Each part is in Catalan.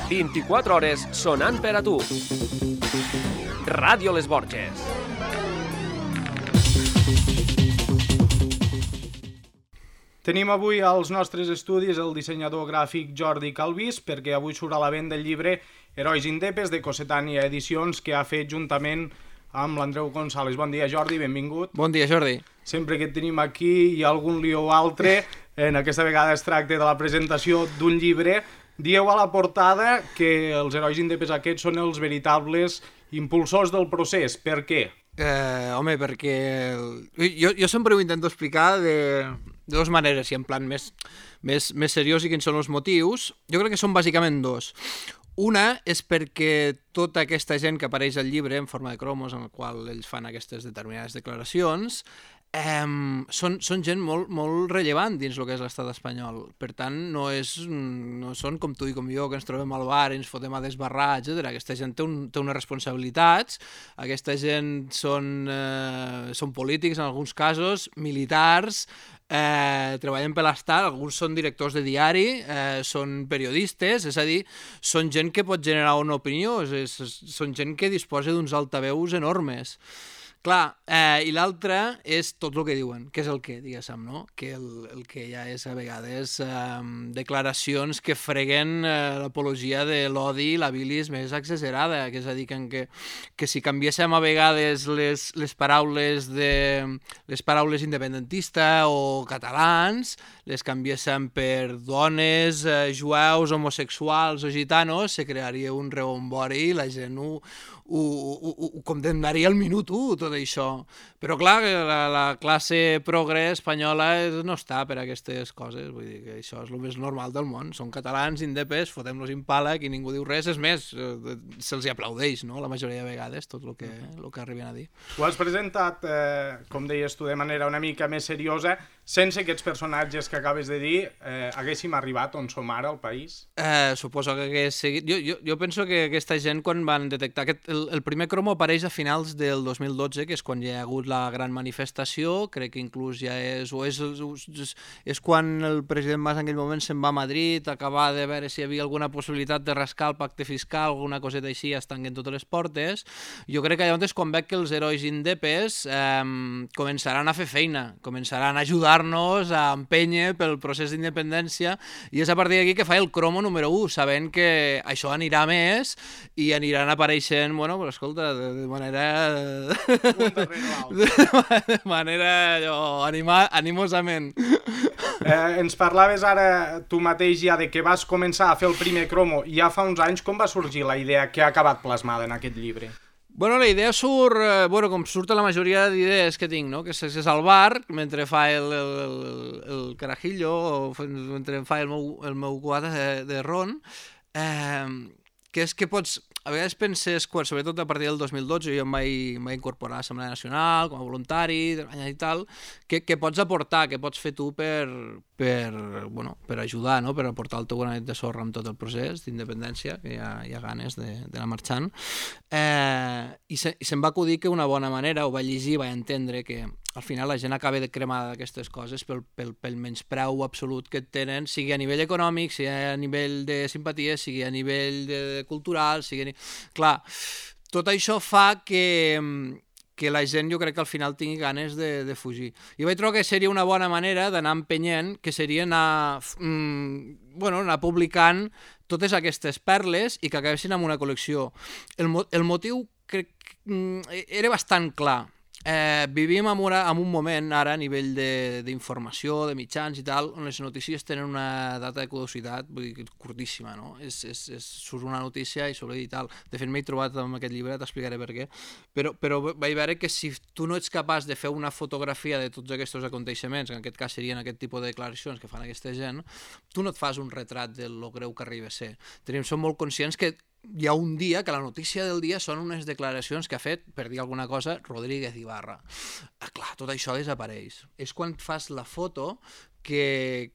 24 hores sonant per a tu. Ràdio Les Borges. Tenim avui als nostres estudis el dissenyador gràfic Jordi Calvís, perquè avui surt a la venda el llibre Herois Indepes de Cossetània Edicions, que ha fet juntament amb l'Andreu González. Bon dia, Jordi, benvingut. Bon dia, Jordi. Sempre que et tenim aquí hi ha algun lío o altre. En aquesta vegada es tracta de la presentació d'un llibre. Dieu a la portada que els herois indepes aquests són els veritables impulsors del procés. Per què? Home, perquè jo sempre ho intento explicar de dues maneres, i en plan més seriós, i quins són els motius. Jo crec que són bàsicament dos. Una és perquè tota aquesta gent que apareix al llibre en forma de cromos, en el qual ells fan aquestes determinades declaracions, són gent molt rellevant dins el que és l'estat espanyol. Per tant, no són com tu i com jo, que ens trobem al bar i ens fotem a desbarrar, etc. Aquesta gent té unes responsabilitats, aquesta gent són polítics en alguns casos, militars, treballen per l'estat, alguns són directors de diari, són periodistes, és a dir, són gent que pot generar una opinió, són gent que disposa d'uns altaveus enormes. Clar, i l'altre és tot el que diuen, que és el que, diguéssim, no? Que el que ja és a vegades declaracions que freguen l'apologia de l'odi i la bilis més exagerada, que és a dir, que si canviéssim a vegades les paraules independentista o catalans, les canviéssim per dones, jueus, homosexuals o gitanos, se crearia un rebombori i la gent ho condemnaria al minut 1, tot això. Però clar, la classe progre espanyola no està per aquestes coses, vull dir que això és el més normal del món. Són catalans, indepes, fotem-los impala, i ningú diu res, és més, se'ls aplaudeix, no?, la majoria de vegades, tot el que arriben a dir. Ho has presentat, com deies tu, de manera una mica més seriosa, sense aquests personatges que acabes de dir, haguéssim arribat on som ara al país? Suposo que hagués seguit. Jo penso que aquesta gent, quan van detectar el primer cromo apareix a finals del 2012, que és quan ja hi ha hagut la gran manifestació, crec que inclús ja és quan el president Mas en aquell moment se'n va a Madrid, acabar de veure si hi havia alguna possibilitat de rascar el pacte fiscal, alguna coseta així, es tanquen totes les portes. Jo crec que allà és quan veig que els herois indepes començaran a fer feina, començaran a ajudar-nos a empènyer pel procés d'independència, i és a partir d'aquí que fa el cromo número 1, sabent que això anirà més i aniran apareixent, bueno, però escolta, de manera... de manera animosament. Ens parlaves ara tu mateix ja de que vas començar a fer el primer cromo ja fa uns anys. Com va sorgir la idea que ha acabat plasmada en aquest llibre? Bueno, la idea surt, com surt la majoria d'idees que tinc, no? Que és al bar, mentre fa el carajillo, o mentre fa el meu quadre de ron, que és que pots... A vegades penses, sobretot a partir del 2012, jo em vaig incorporar a l'Assemblea Nacional com a voluntari i tal, que pots aportar, que pots fer tu per ajudar, no? Per aportar el teu granet de sorra amb tot el procés d'independència, que hi ha ganes d'anar marxant. I se'm va acudir que una bona manera, ho vaig llegir, vaig entendre que al final la gent acaba de cremar d'aquestes coses pel menyspreu absolut que tenen, sigui a nivell econòmic, sigui a nivell de simpatia, sigui a nivell cultural, Clar, tot això fa que la gent, jo crec que al final tingui ganes de fugir. I vaig trobar que seria una bona manera d'anar empenyent, que seria anar publicant totes aquestes perles i que acabessin amb una col·lecció. El motiu crec que era bastant clar. Vivim en un moment ara a nivell d'informació, de mitjans i tal, on les notícies tenen una data de caducitat, vull dir, curtíssima, no? Surt una notícia i s'oblida i tal. De fet, m'he trobat amb aquest llibre, t'explicaré per què, però vaig veure que si tu no ets capaç de fer una fotografia de tots aquests aconteixements, que en aquest cas serien aquest tipus de declaracions que fan aquesta gent, tu no et fas un retrat de lo greu que arriba a ser. Som molt conscients que hi ha un dia que la notícia del dia són unes declaracions que ha fet, per dir alguna cosa, Rodríguez Ibarra. Clar, tot això desapareix. És quan fas la foto que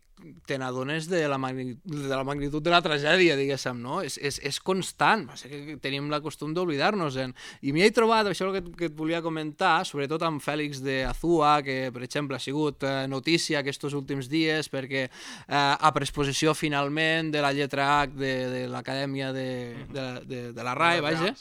te n'adones de la magnitud de la tragèdia, diguéssim, no? És constant, va ser que tenim la costum d'oblidar-nos-en. I m'hi he trobat, això que et volia comentar, sobretot amb Fèlix de Azúa, que, per exemple, ha sigut notícia aquests últims dies perquè ha pres possessió finalment de la lletra H de l'Acadèmia de la RAE, vaja,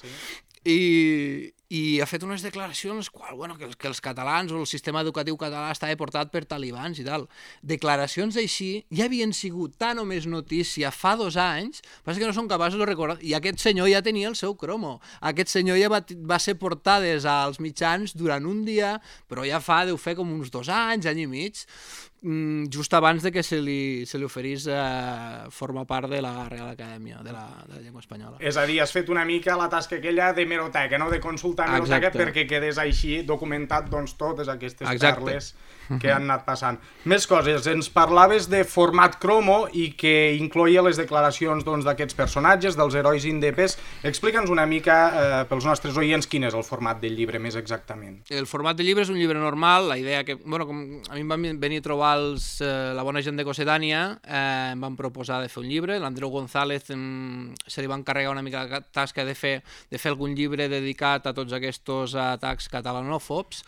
i ha fet unes declaracions que els catalans o el sistema educatiu català estava portat per talibans i tal. Declaracions així ja havien sigut tan o més notícia fa 2 anys, passa que no són capaços de recordar, i aquest senyor ja tenia el seu cromo. Aquest senyor ja va ser portades als mitjans durant un dia, però ja deu fer com uns 2 anys, any i mig, just abans de que se li oferís formar part de la Real Acadèmia de la Llengua Espanyola. És a dir, has fet una mica la tasca aquella de meroteca, no? De consultar meroteca perquè quedés així documentat totes aquestes perles que han anat passant. Més coses, ens parlaves de format cromo i que incloïa les declaracions d'aquests personatges, dels herois indepes. Explica'ns una mica pels nostres oients quin és el format del llibre més exactament. El format del llibre és un llibre normal, la idea que, com a mi em van venir a trobar la bona gent de Cossetània, em van proposar de fer un llibre, l'Andreu González se li va encarregar una mica la tasca de fer algun llibre dedicat a tots aquests atacs catalanòfobs,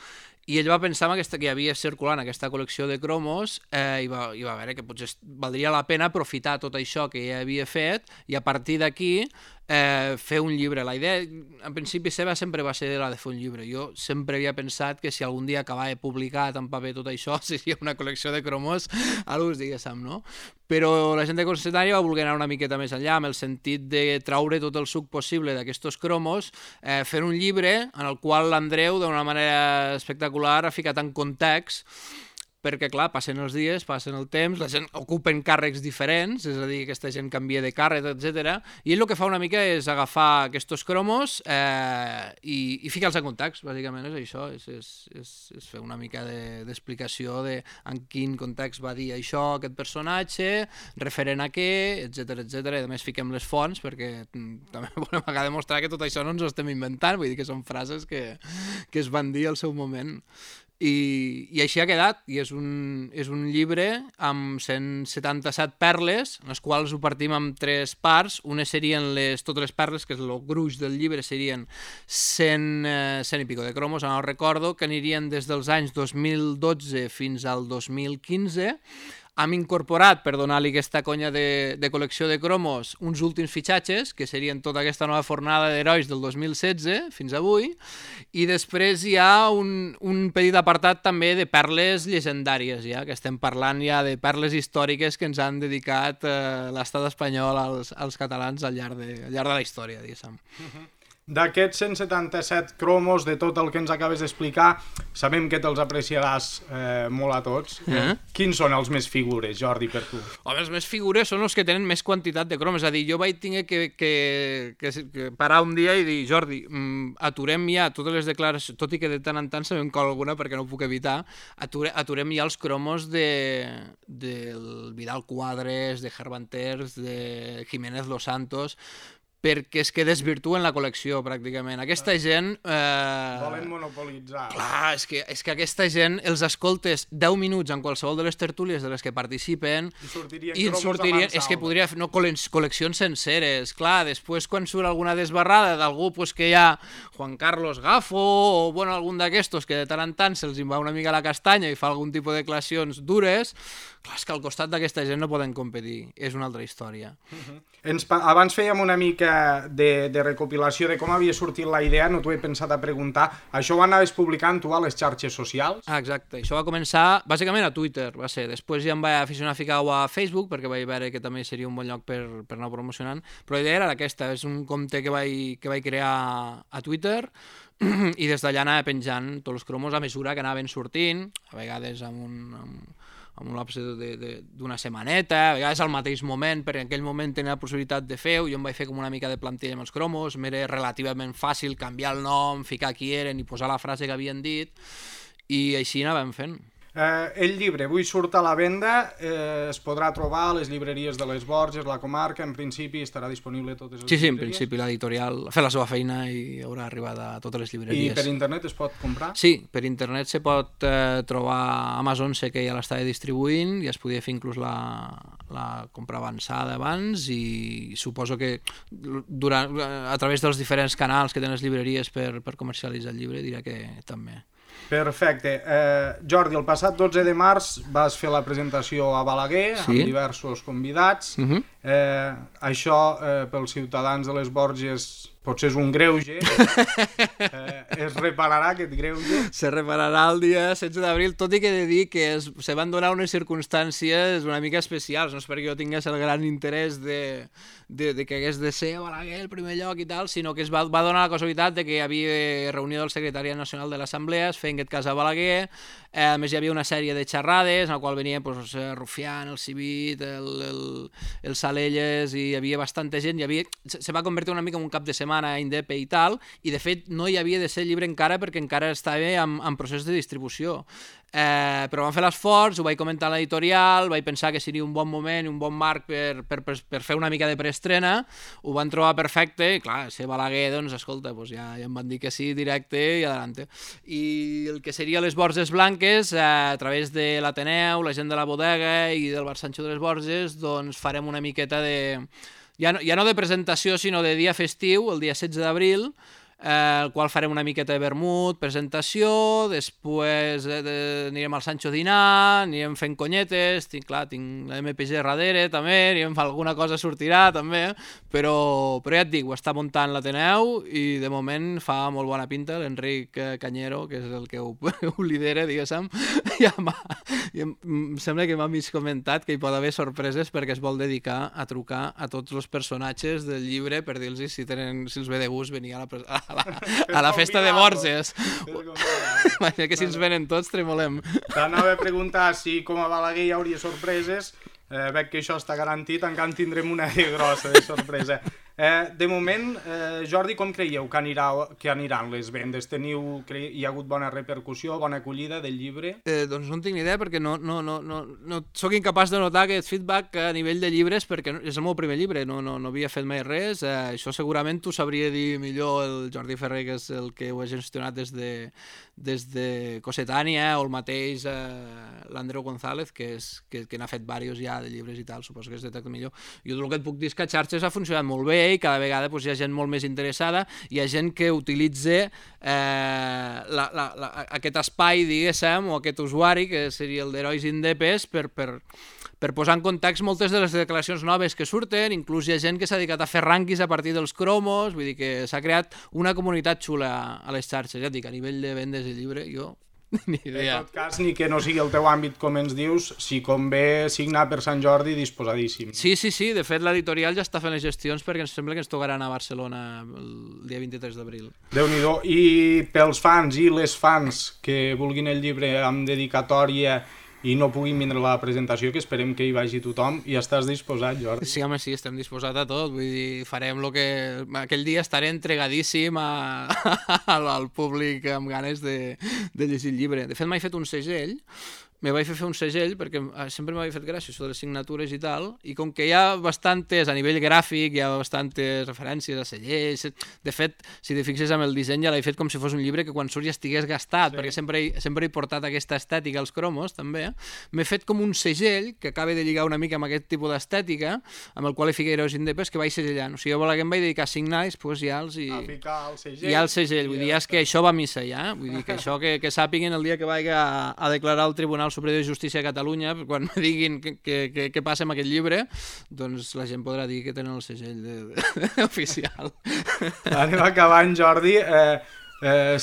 i ell va pensar que hi havia circulant aquesta col·lecció de cromos i va veure que potser valdria la pena aprofitar tot això que ja havia fet i a partir d'aquí fer un llibre. La idea, en principi seva, sempre va ser la de fer un llibre. Jo sempre havia pensat que si algun dia acabava publicat en paper tot això, seria una col·lecció de cromos a l'ús, diguéssim, no? Però la gent de Cossetània va voler anar una miqueta més enllà, amb el sentit de traure tot el suc possible d'aquests cromos, fer un llibre en el qual l'Andreu, d'una manera espectacular, ha ficat en context perquè, clar, passen els dies, passen el temps, la gent ocupen càrrecs diferents, és a dir, aquesta gent canvia de càrrec, etc. I ell el que fa una mica és agafar aquests cromos i ficar-los en context, bàsicament és això, és fer una mica d'explicació de en quin context va dir això aquest personatge, referent a què, etc. I a més fiquem les fonts perquè també volem acabar demostrar que tot això no ens ho estem inventant, vull dir que són frases que es van dir al seu moment. I així ha quedat, i és un llibre amb 177 perles, en les quals ho partim en 3 parts. Unes serien totes les perles, que és el gruix del llibre, serien 100 i pico de cromos, no recordo, que anirien des dels anys 2012 fins al 2015. Hem incorporat, per donar-li aquesta conya de col·lecció de cromos, uns últims fitxatges, que serien tota aquesta nova fornada d'herois del 2016 fins avui, i després hi ha un petit apartat també de perles llegendàries, ja, que estem parlant ja de perles històriques que ens han dedicat l'estat espanyol als catalans al llarg de la història, diguéssim. D'aquests 177 cromos, de tot el que ens acabes d'explicar, sabem que te'ls apreciaràs molt a tots. Quins són els més figures, Jordi, per tu? Home, els més figures són els que tenen més quantitat de cromos. És a dir, jo vaig tenir que parar un dia i dir, Jordi, aturem ja totes les declaracions, tot i que de tant en tant sabem que alguna, perquè no ho puc evitar, aturem ja els cromos del Vidal Quadres, de Hervanters, de Jiménez Los Santos, perquè és que desvirtuen la col·lecció, pràcticament. Aquesta gent... Volen monopolitzar. Clar, és que aquesta gent els escoltes 10 minuts en qualsevol de les tertúlies de les que participen i sortirien és que podria fer col·leccions senceres. Clar, després quan surt alguna desbarrada d'algú que hi ha Juan Carlos Gafo o algun d'aquestos que de tant en tant se'ls va una mica la castanya i fa algun tipus de declaracions dures, clar, és que al costat d'aquesta gent no poden competir. És una altra història. Abans fèiem una mica de recopilació de com havia sortit la idea, no t'ho he pensat a preguntar. Això ho anaves publicant tu a les xarxes socials? Exacte, això va començar bàsicament a Twitter, va ser. Després ja em vaig aficionar a ficar-ho a Facebook, perquè vaig veure que també seria un bon lloc per anar promocionant, però la idea era aquesta, és un compte que vaig crear a Twitter i des d'allà anava penjant tots els cromos a mesura que anaven sortint, a vegades amb un lapse d'una setmaneta, a vegades al mateix moment, perquè en aquell moment tenia la possibilitat de fer-ho, jo em vaig fer com una mica de plantilla amb els cromos, m'era relativament fàcil canviar el nom, ficar qui eren i posar la frase que havien dit, i així anàvem fent. El llibre avui surt a la venda, es podrà trobar a les llibreries de les Borges, la comarca, en principi estarà disponible a totes les Sí, en llibreries. principi l'editorial ha fet la seva feina i haurà arribat a totes les llibreries. I per internet es pot comprar? Sí, per internet se pot trobar a Amazon, sé que ja l'estava distribuint, i es podia fer inclús la compra avançada abans, i suposo que a través dels diferents canals que tenen les llibreries per comercialitzar el llibre, diré que també. Perfecte. Jordi, el passat 12 de març vas fer la presentació a Balaguer, amb diversos convidats. Això, pels ciutadans de les Borges, potser és un greuge. Es repararà aquest greuge? Se repararà el dia 16 d'abril, tot i que he de dir que se van donar unes circumstàncies una mica especials, no és perquè jo tingués el gran interès de que hagués de ser Balaguer el primer lloc i tal, sinó que es va donar la casualitat de que hi havia reunió del Secretariat Nacional de l'Assemblea, es feia en aquest cas a Balaguer, a més hi havia una sèrie de xerrades en la qual venien Rufián, el Civit, el Salelles, i hi havia bastanta gent, se va convertir una mica en un cap de setmana Indepe i tal, i de fet no hi havia de ser llibre encara perquè encara estava en procés de distribució. Però vam fer l'esforç, ho vaig comentar a l'editorial, vaig pensar que seria un bon moment i un bon marc per fer una mica de preestrena, ho van trobar perfecte, i clar, ser Balaguer, doncs escolta, ja em van dir que sí, directe i adelante. I el que seria les Borges Blanques, a través de l'Ateneu, la gent de la bodega i del Bar Sancho de les Borges, doncs farem una miqueta de... ja no de presentació, sinó de dia festiu, el dia 16 d'abril, el qual farem una miqueta de vermut, presentació, després anirem al Sancho a dinar, anirem fent conyetes, tinc la MPG darrere també, anirem fent alguna cosa sortirà també, però ja et dic, ho està muntant l'Ateneu i de moment fa molt bona pinta, l'Enric Cañero, que és el que ho lidera, diguéssim, i em sembla que m'ha mig comentat que hi pot haver sorpreses perquè es vol dedicar a trucar a tots els personatges del llibre per dir-los si els ve de gust venir a la festa de Borges. Imagina que si ens venen tots tremolem. T'anava a preguntar si com a Balaguer hi hauria sorpreses. Veig que això està garantit, encara en tindrem una de grossa de sorpresa. De moment, Jordi, com creieu que aniran les vendes? Hi ha hagut bona repercussió, bona acollida del llibre? Doncs no en tinc ni idea perquè no sóc incapaç de notar aquest feedback a nivell de llibres perquè és el meu primer llibre, no havia fet mai res. Això segurament t'ho sabria dir millor el Jordi Ferrer, que és el que ho ha gestionat des de Cossetània, o el mateix l'Andreu González, que n'ha fet diversos ja de llibres i tal, suposo que es detecta millor. Jo el que et puc dir és que a xarxes ha funcionat molt bé i cada vegada hi ha gent molt més interessada, hi ha gent que utilitza aquest espai, diguéssim, o aquest usuari, que seria el d'Herois Indepes, per posar en context moltes de les declaracions noves que surten, inclús hi ha gent que s'ha dedicat a fer rànquings a partir dels cromos, vull dir que s'ha creat una comunitat xula a les xarxes, ja et dic, a nivell de vendes de llibre, jo ni idea. En tot cas, ni que no sigui el teu àmbit, com ens dius, si convé signar per Sant Jordi, disposadíssim. Sí, de fet l'editorial ja està fent les gestions perquè ens sembla que ens tocaran a Barcelona el dia 23 d'abril. Déu-n'hi-do. I pels fans i les fans que vulguin el llibre amb dedicatòria i no puguin vindre a la presentació, que esperem que hi vagi tothom, i estàs disposat, Jordi? Sí, home, sí, estem disposats a tot, vull dir, farem el que... Aquell dia estaré entregadíssim al públic amb ganes de llegir el llibre. De fet, m'he fet un segell, me vaig fer un segell perquè sempre m'havia fet gràcia això de les signatures i tal, i com que hi ha bastantes, a nivell gràfic, hi ha bastantes referències a segells, de fet, si te fixes amb el disseny ja l'he fet com si fos un llibre que quan surt ja estigués gastat, perquè sempre he portat aquesta estètica als cromos, també. M'he fet com un segell que acaba de lligar una mica amb aquest tipus d'estètica, amb el qual he ficat Herois Indepes, que vaig segellant. O sigui, jo em vaig dedicar a signar i després ja a ficar el segell. Ja el segell, vull dir, és que això va a missa ja, vull dir que això que sàpiguen el dia que vaig a declarar al Tribunal Superior de Justícia de Catalunya, quan me diguin què passa amb aquest llibre, doncs la gent podrà dir que tenen el segell oficial. Anem acabant, Jordi.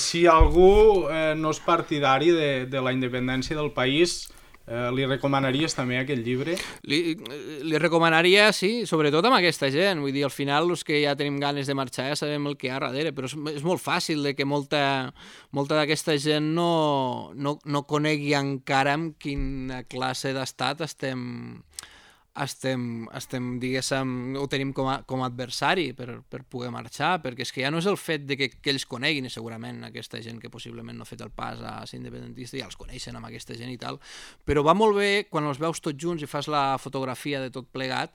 Si algú no és partidari de la independència del país, li recomanaries també aquest llibre? Li recomanaria, sí, sobretot amb aquesta gent. Vull dir, al final, els que ja tenim ganes de marxar ja sabem el que hi ha darrere, però és molt fàcil de que molta d'aquesta gent no conegui encara amb quina classe d'estat estem estem diguéssim, ho tenim com a adversari per poder marxar, perquè és que ja no és el fet de que ells coneguin, i segurament aquesta gent que possiblement no ha fet el pas a ser independentista ja els coneixen amb aquesta gent i tal, però va molt bé quan els veus tots junts i fas la fotografia de tot plegat,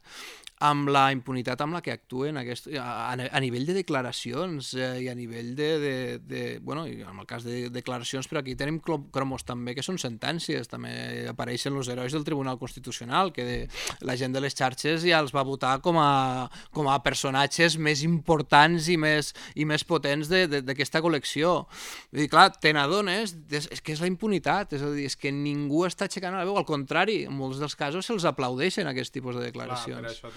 amb la impunitat amb la que actuen a nivell de declaracions i a nivell bueno, i en el cas de declaracions, però aquí tenim cromos també que són sentències, també apareixen els herois del Tribunal Constitucional, que la gent de les xarxes ja els va votar com a personatges més importants i més potents d'aquesta col·lecció. Vull dir, clar, te n'adones, és que és la impunitat, és a dir, és que ningú està aixecant la veu, al contrari, en molts dels casos se'ls aplaudeixen aquest tipus de declaracions. Per això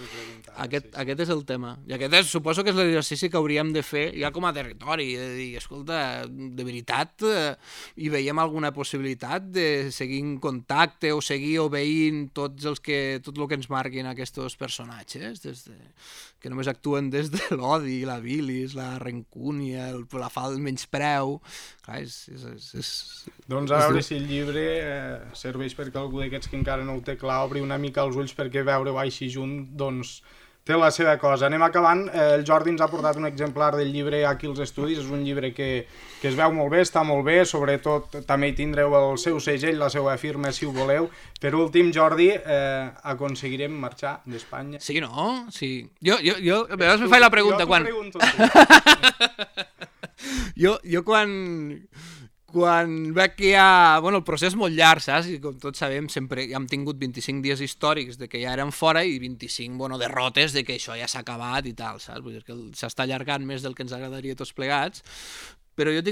Aquest és el tema. I suposo que és l'exercici que hauríem de fer ja com a territori, de dir, escolta, de veritat, hi veiem alguna possibilitat de seguir en contacte o seguir obeint tot el que ens marquin aquests personatges, que només actuen des de l'odi, la bilis, la rancúnia, la falta de menyspreu. Clar, doncs a veure si el llibre serveix perquè algú d'aquests que encara no ho té clar obri una mica els ulls perquè veure-ho així junt, doncs té la seva cosa. Anem acabant. El Jordi ens ha portat un exemplar del llibre aquí als estudis. És un llibre que es veu molt bé, està molt bé, sobretot també hi tindreu el seu segell, la seva firma, si ho voleu. Per últim, Jordi, aconseguirem marxar d'Espanya? Sí, no? Sí. Jo a vegades me faig la pregunta quan... Jo quan veig que hi ha... Bueno, el procés és molt llarg, saps? I com tots sabem, sempre hem tingut 25 dies històrics de que ja eren fora i 25, derrotes de que això ja s'ha acabat i tal, saps? Vull dir que s'està allargant més del que ens agradaria tots plegats, però jo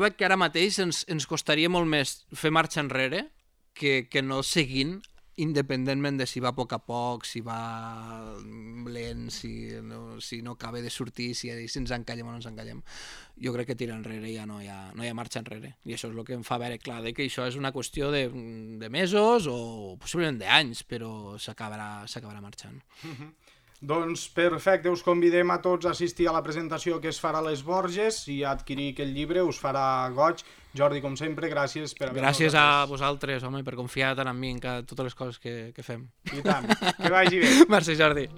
veig que ara mateix ens costaria molt més fer marxa enrere que no seguint, independentment de si va a poc, si va lent, si no acaba de sortir, si ens encallem o no ens encallem. Jo crec que tirar enrere ja no hi ha marxa enrere. I això és el que em fa veure clar que això és una qüestió de mesos o possiblement d'anys, però s'acabarà marxant. Doncs perfecte, us convidem a tots a assistir a la presentació que es farà a les Borges i a adquirir aquest llibre, us farà goig. Jordi, com sempre, gràcies per haver-nos Gràcies a vosaltres, home, per confiar tant en mi en totes les coses que fem. I tant, que vagi bé. Merci, Jordi.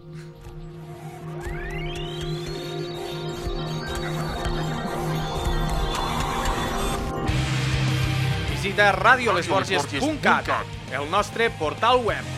Visita radiolesborges.cat, el nostre portal web.